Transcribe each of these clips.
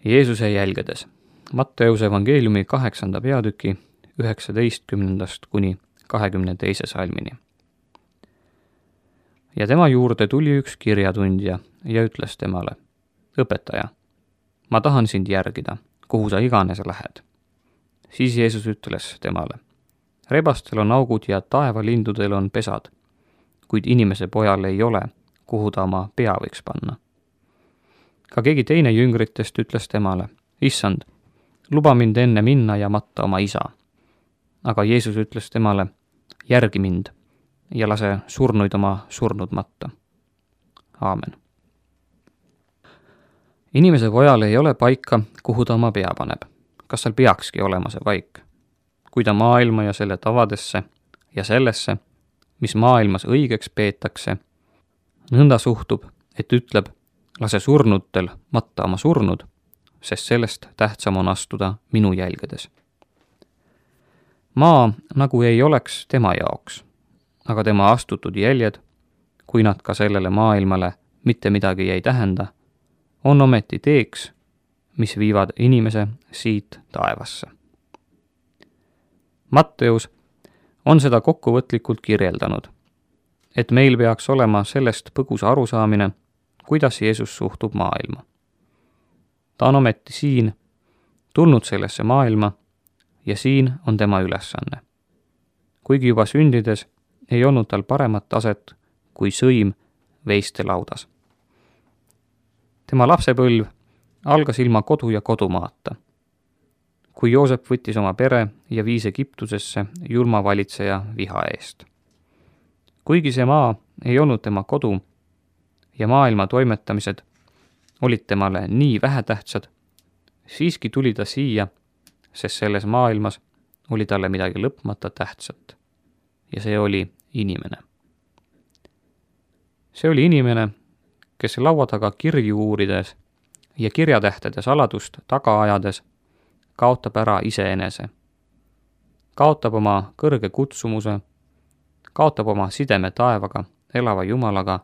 Jeesuse jälgedes. Matteuse evangeeliumi 8. peatüki 19. kuni 22. salmini. Ja tema juurde tuli üks kirjatundja ja ütles temale: õpetaja, ma tahan sind järgida, kuhu sa iganes lähed. Siis Jeesus ütles temale: rebastel on augud ja taevalindudel on pesad, kuid inimese pojal ei ole, kuhu ta oma pea võiks panna. Ka keegi teine jüngritest ütles temale: issand, luba mind enne minna ja matta oma isa. Aga Jeesus ütles temale: järgi mind ja lase surnuid oma surnud matta. Aamen. Inimese pojal ei ole paika, kuhu ta oma pea paneb. Kas seal peakski olema see paik? Kui ta maailma ja selle tavadesse ja sellesse, mis maailmas õigeks peetakse, nõnda suhtub, et ütleb: lase surnutel matta oma surnud, sest sellest tähtsam on astuda minu jälgedes. Maa nagu ei oleks tema jaoks, aga tema astutud jäljed, kui nad ka sellele maailmale mitte midagi ei tähenda, on ometi teeks, mis viivad inimese siit taevasse. Matteus on seda kokkuvõtlikult kirjeldanud, et meil peaks olema sellest põgus arusaamine, kuidas Jeesus suhtub maailma. Ta on ometi siin, tulnud sellesse maailma ja siin on tema ülesanne. Kuigi juba sündides ei olnud tal paremat taset kui sõim veiste laudas. Tema lapsepõlv algas ilma kodu ja kodumaata. Kui Joosep võttis oma pere ja viis Egiptusesse julma valitseja viha eest. Kuigi see maa ei olnud tema kodu ja maailma toimetamised olid temale nii vähetähtsad, siiski tuli ta siia, sest selles maailmas oli talle midagi lõpmata tähtsat. Ja see oli inimene. See oli inimene, kes laua taga kirju uurides ja kirjatähtede saladust taga ajades kaotab ära iseenese. Kaotab oma kõrge kutsumuse, kaotab oma sideme taevaga, elava Jumalaga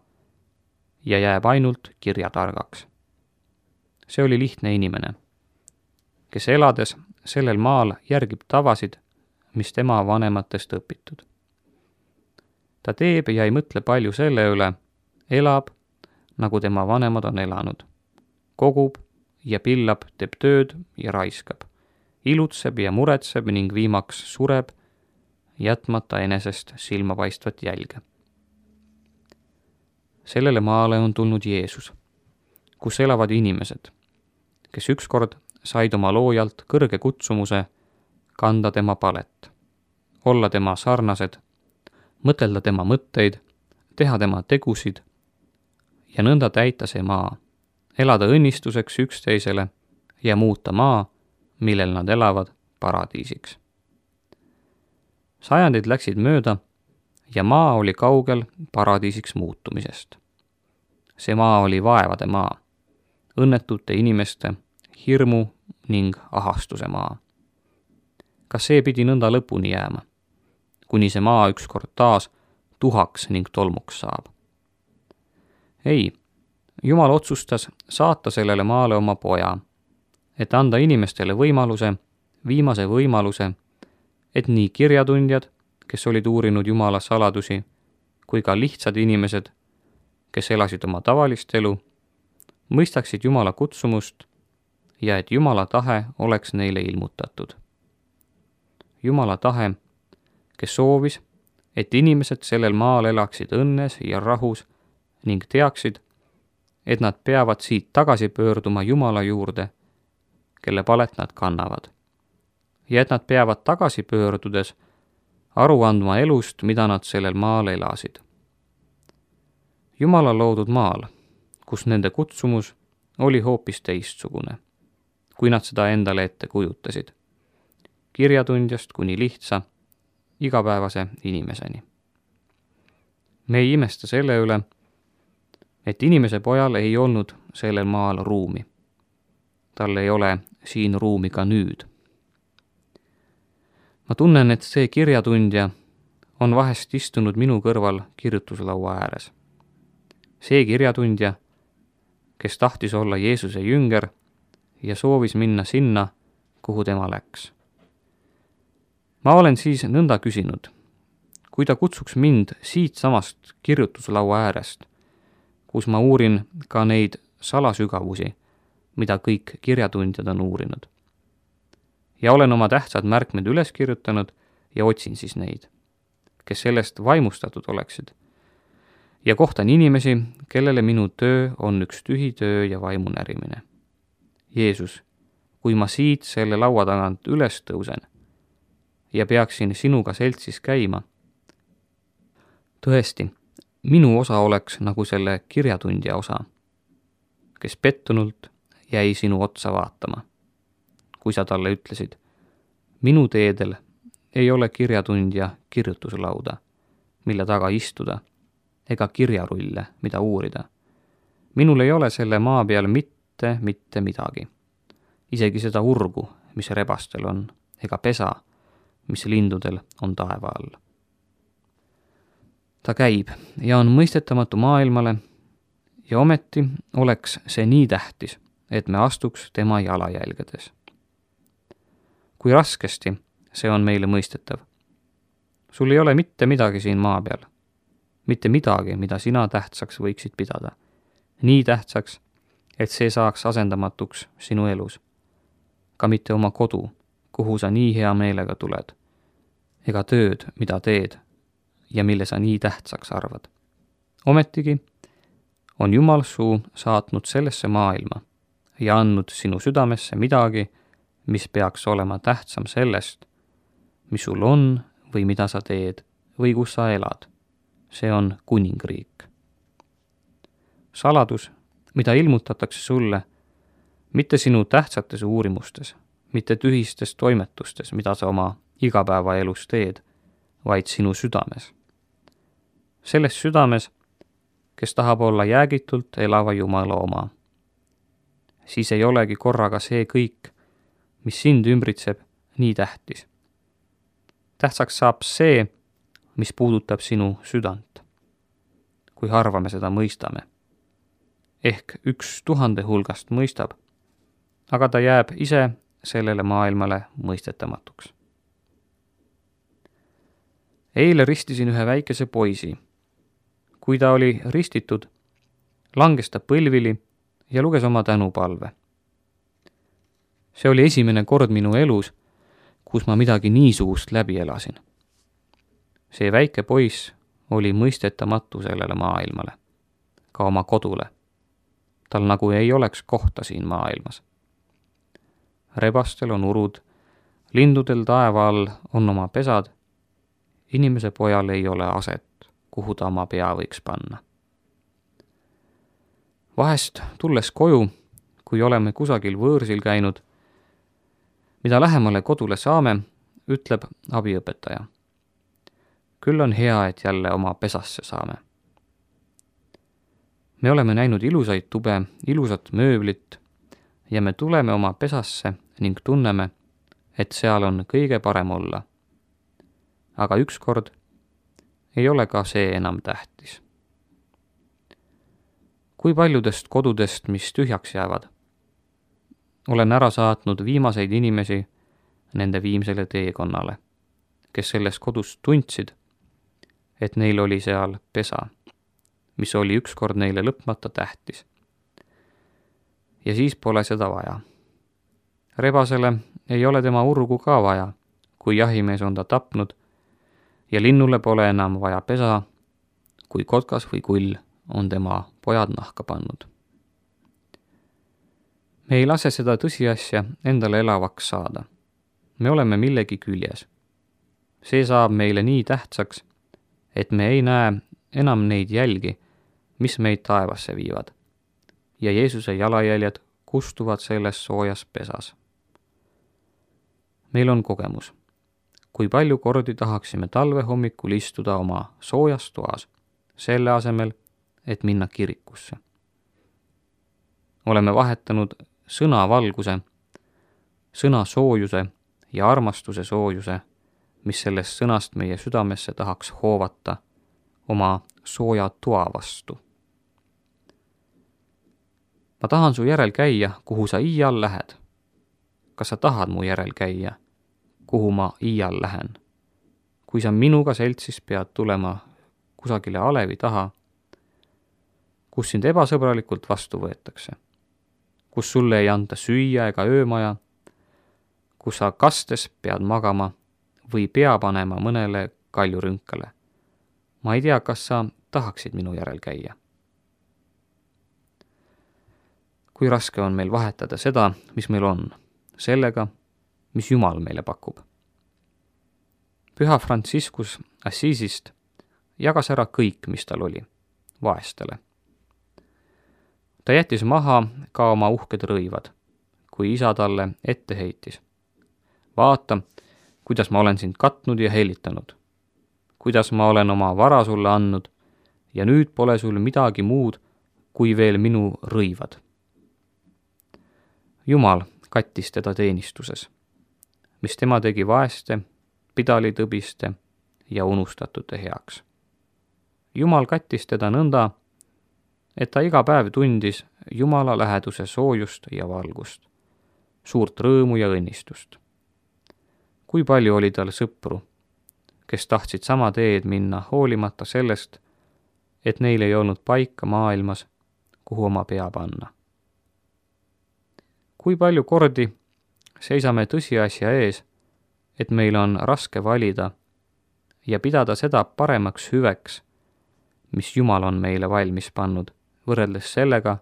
ja jääb ainult kirjatargaks. See oli lihtne inimene, kes elades sellel maal järgib tavasid, mis tema vanematest õpitud. Ta teeb ja ei mõtle palju selle üle, elab, nagu tema vanemad on elanud. Kogub ja pillab, teeb tööd ja raiskab. Ilutseb ja muretseb ning viimaks sureb, jätmata enesest silmapaistvat jälge. Sellele maale on tulnud Jeesus, kus elavad inimesed, kes ükskord said oma loojalt kõrge kutsumuse kanda tema palet, olla tema sarnased, mõtelda tema mõtteid, teha tema tegusid ja nõnda täita see maa, elada õnnistuseks üksteisele ja muuta maa, millel nad elavad, paradiisiks. Sajandid läksid mööda ja maa oli kaugel paradiisiks muutumisest. See maa oli vaevade maa, õnnetute inimeste, hirmu ning ahastuse maa. Kas see pidi nõnda lõpuni jääma, kuni see maa ükskord taas tuhaks ning tolmuks saab? Ei, Jumal otsustas saata sellele maale oma poja, et anda inimestele võimaluse, viimase võimaluse, et nii kirjatundjad, kes olid uurinud Jumala saladusi, kui ka lihtsad inimesed, kes elasid oma tavalist elu, mõistaksid Jumala kutsumust ja et Jumala tahe oleks neile ilmutatud. Jumala tahe, kes soovis, et inimesed sellel maal elaksid õnnes ja rahus ning teaksid, et nad peavad siit tagasi pöörduma Jumala juurde, kelle palet nad kannavad. Ja et nad peavad tagasi pöördudes aru andma elust, mida nad sellel maal elasid. Jumala loodud maal, kus nende kutsumus oli hoopis teistsugune, kui nad seda endale ette kujutasid. Kirjatundjast kuni lihtsa, igapäevase inimeseni. Me ei imesta selle üle, et inimese pojal ei olnud sellel maal ruumi. Tal ei ole siin ruumi ka nüüd. Ma tunnen, et see kirjatundja on vahest istunud minu kõrval kirjutuslaua ääres. See kirjatundja, kes tahtis olla Jeesuse jünger ja soovis minna sinna, kuhu tema läks. Ma olen siis nõnda küsinud, kui ta kutsuks mind siitsamast kirjutuslaua äärest, kus ma uurin ka neid salasügavusi, mida kõik kirjatundjad on uurinud. Ja olen oma tähtsad märkmed üles kirjutanud ja otsin siis neid, kes sellest vaimustatud oleksid. Ja kohtan inimesi, kellele minu töö on üks tühi töö ja vaimu närimine. Jeesus, kui ma siit selle laua tagant üles tõusen ja peaksin sinuga seltsis käima, tõesti, minu osa oleks nagu selle kirjatundja osa, kes pettunult jäi sinu otsa vaatama, kui sa talle ütlesid, minu teedel ei ole kirjatundja kirjutuslauda, mille taga istuda, ega kirjarulle, mida uurida. Minul ei ole selle maa peal mitte midagi, isegi seda urgu, mis rebastel on, ega pesa, mis lindudel on taeva all. Ta käib ja on mõistetamatu maailmale ja ometi oleks see nii tähtis, et me astuks tema jalajälgedes. Kui raskesti see on meile mõistetav. Sul ei ole mitte midagi siin maa peal. Mitte midagi, mida sina tähtsaks võiksid pidada. Nii tähtsaks, et see saaks asendamatuks sinu elus. Ka mitte oma kodu, kuhu sa nii hea meelega tuled. Ega tööd, mida teed ja mille sa nii tähtsaks arvad. Ometigi on Jumal suu saatnud sellesse maailma ja andnud sinu südamesse midagi, mis peaks olema tähtsam sellest, mis sul on või mida sa teed või kus sa elad. See on kuningriik. Saladus, mida ilmutatakse sulle, mitte sinu tähtsates uurimustes, mitte tühistes toimetustes, mida sa oma igapäevaelus teed, vaid sinu südames. Selles südames, kes tahab olla jäägitult elava Jumala oma. Siis ei olegi korraga see kõik, mis sind ümbritseb, nii tähtis. Tähtsaks saab see, mis puudutab sinu südant, kui harva me seda mõistame. Ehk 1000 hulgast mõistab, aga ta jääb ise sellele maailmale mõistetamatuks. Eile ristisin ühe väikese poisi. Kui ta oli ristitud, langes ta põlvili ja luges oma tänupalve. See oli esimene kord minu elus, kus ma midagi niisugust läbi elasin. See väike poiss oli mõistetamatu sellele maailmale, ka oma kodule. Tal nagu ei oleks kohta siin maailmas. Rebastel on urud, lindudel taeva all on oma pesad, inimese pojal ei ole aset, kuhu ta oma pea võiks panna. Vahest tulles koju, kui oleme kusagil võõrsil käinud, mida lähemale kodule saame, ütleb abiõpetaja. Küll on hea, et jälle oma pesasse saame. Me oleme näinud ilusaid tube, ilusat mööblit ja me tuleme oma pesasse ning tunneme, et seal on kõige parem olla. Aga ükskord ei ole ka see enam tähtis. Kui paljudest kodudest, mis tühjaks jäävad, olen ära saatnud viimaseid inimesi nende viimsele teekonnale, kes selles kodus tundsid, et neil oli seal pesa, mis oli ükskord neile lõpmata tähtis. Ja siis pole seda vaja. Rebasele ei ole tema urgu ka vaja, kui jahimees on ta tapnud, ja linnule pole enam vaja pesa, kui kotkas või kull on tema pojad nahka pannud. Me ei lase seda tõsiasja endale elavaks saada. Me oleme millegi küljes. See saab meile nii tähtsaks, et me ei näe enam neid jälgi, mis meid taevasse viivad. Ja Jeesuse jalajäljed kustuvad selles soojas pesas. Meil on kogemus. Kui palju kordi tahaksime talve hommikul istuda oma soojas toas, selle asemel, et minna kirikusse. Oleme vahetanud sõna valguse, sõna soojuse ja armastuse soojuse, mis sellest sõnast meie südamesse tahaks hoovata oma sooja toa vastu. ma tahan su järel käia, kuhu sa iial lähed. Kas sa tahad mu järel käia, kuhu ma iial lähen? Kui sa minuga seltsis pead tulema kusagile alevi taha, kus sind ebasõbralikult vastu võetakse, kus sulle ei anta süüa ega öömaja, kus sa kastes pead magama või pea panema mõnele kaljurünkale. Ma ei tea, kas sa tahaksid minu järel käia. Kui raske on meil vahetada seda, mis meil on, sellega, mis Jumal meile pakub. Püha Franciscus Assisist jagas ära kõik, mis tal oli, vaestele. Ta jättis maha ka oma uhked rõivad, kui isa talle ette heitis. Vaata, kuidas ma olen sind katnud ja helitanud, kuidas ma olen oma vara sulle andnud ja nüüd pole sul midagi muud kui veel minu rõivad. Jumal kattis teda teenistuses, mis tema tegi vaeste, pidalitõbiste ja unustatute heaks. Jumal kattis teda nõnda, et ta iga päev tundis Jumala läheduse soojust ja valgust, suurt rõõmu ja õnnistust. Kui palju oli tal sõpru, kes tahtsid sama teed minna hoolimata sellest, et neil ei olnud paika maailmas, kuhu oma pea panna. Kui palju kordi seisame tõsiasja ees, et meil on raske valida ja pidada seda paremaks hüveks, mis Jumal on meile valmis pannud, võrreldes sellega,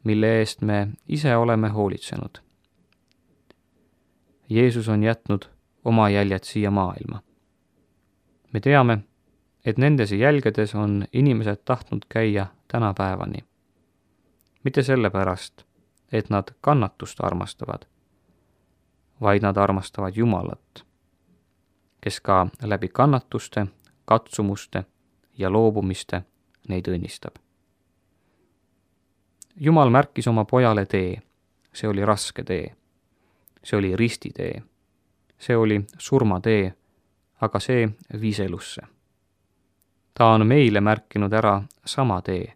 mille eest me ise oleme hoolitsenud. Jeesus on jätnud oma jäljed siia maailma. Me teame, et nendes jälgedes on inimesed tahtnud käia tänapäevani. Mitte sellepärast, et nad kannatust armastavad, vaid nad armastavad Jumalat, kes ka läbi kannatuste, katsumuste ja loobumiste neid õnnistab. Jumal märkis oma pojale tee, see oli raske tee, see oli ristitee, see oli surmatee, aga see viis elusse. Ta on meile märkinud ära sama tee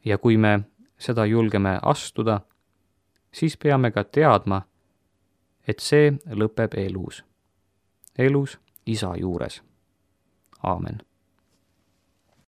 ja kui me seda julgeme astuda, siis peame ka teadma, et see lõpeb elus isa juures. Aamen.